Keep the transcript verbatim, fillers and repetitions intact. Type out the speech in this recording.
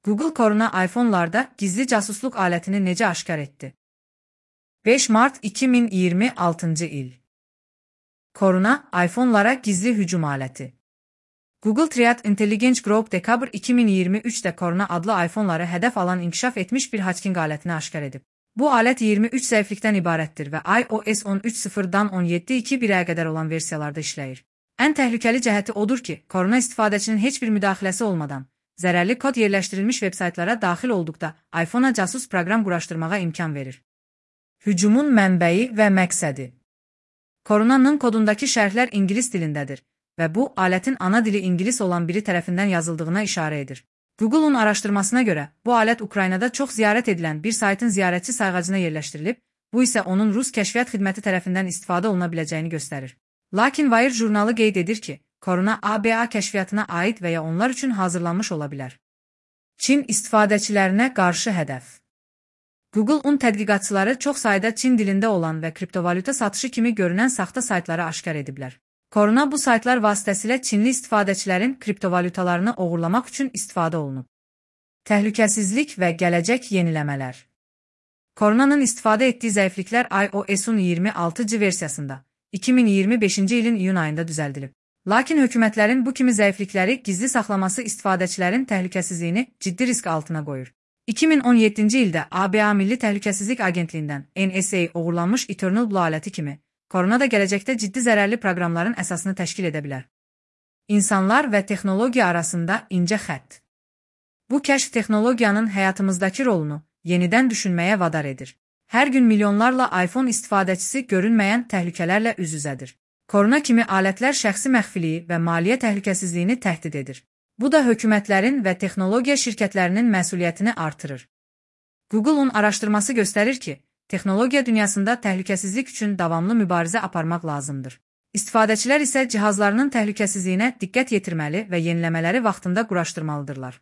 Google Corona iPhone'larda gizli casusluq alətini necə aşkar etdi? beş Mart iki min iyirmi altıncı il. Corona iPhone'lara gizli hücum aləti. Google Threat Intelligence Group dekabr iki min iyirmi üçdə Corona adlı iPhone'ları hədəf alan inkişaf etmiş bir hacking alətini aşkar edib. Bu alət iyirmi üç zəiflikdən ibarətdir və iOS on üç nöqtə sıfırdan on yeddi nöqtə iki birə qədər olan versiyalarda işləyir. Ən təhlükəli cəhəti odur ki, Corona istifadəçinin heç bir müdaxiləsi olmadan, zərərli kod yerləşdirilmiş veb-saytlara daxil olduqda iPhone-a casus proqram quraşdırmağa imkan verir. Hücumun mənbəyi və məqsədi. Corona'nın kodundakı şərhlər ingilis dilindədir və bu, alətin ana dili ingilis olan biri tərəfindən yazıldığına işarə edir. Google'un araşdırmasına görə, bu alət Ukraynada çox ziyarət edilən bir saytın ziyarətçi sayğacına yerləşdirilib, bu isə onun Rus kəşfiyyat xidməti tərəfindən istifadə oluna biləcəyini göstərir. Lakin Wire jurnalı qeyd edir ki, Corona A B A kəşfiyyatına aid və ya onlar üçün hazırlanmış ola bilər. Çin istifadəçilərinə qarşı hədəf. Google-un tədqiqatçıları çox sayda Çin dilində olan və kriptovalyuta satışı kimi görünən saxta saytları aşkar ediblər. Corona bu saytlar vasitəsilə Çinli istifadəçilərin kriptovalyutalarını oğurlamaq üçün istifadə olunub. Təhlükəsizlik və gələcək yeniləmələr. Corona'nın istifadə etdiyi zəifliklər iOS-un iyirmi altıncı versiyasında iki min iyirmi beşinci ilin iyun ayında düzəldilib. Lakin hökumətlərin bu kimi zəiflikləri gizli saxlaması istifadəçilərin təhlükəsizliyini ciddi risk altına qoyur. iki min on yeddinci ildə A B A Milli Təhlükəsizlik Agentliyindən N S A oğurlanmış Eternal Blue aləti kimi, Corona da gələcəkdə ciddi zərərli proqramların əsasını təşkil edə bilər. İnsanlar və texnologiya arasında incə xətt. Bu kəşf texnologiyanın həyatımızdakı rolunu yenidən düşünməyə vadar edir. Hər gün milyonlarla iPhone istifadəçisi görünməyən təhlükələrlə üz-üzədir. Corona kimi alətlər şəxsi məxfiliyi və maliyyə təhlükəsizliyini təhdid edir. Bu da hökumətlərin və texnologiya şirkətlərinin məsuliyyətini artırır. Google'un araşdırması göstərir ki, texnologiya dünyasında təhlükəsizlik üçün davamlı mübarizə aparmaq lazımdır. İstifadəçilər isə cihazlarının təhlükəsizliyinə diqqət yetirməli və yeniləmələri vaxtında quraşdırmalıdırlar.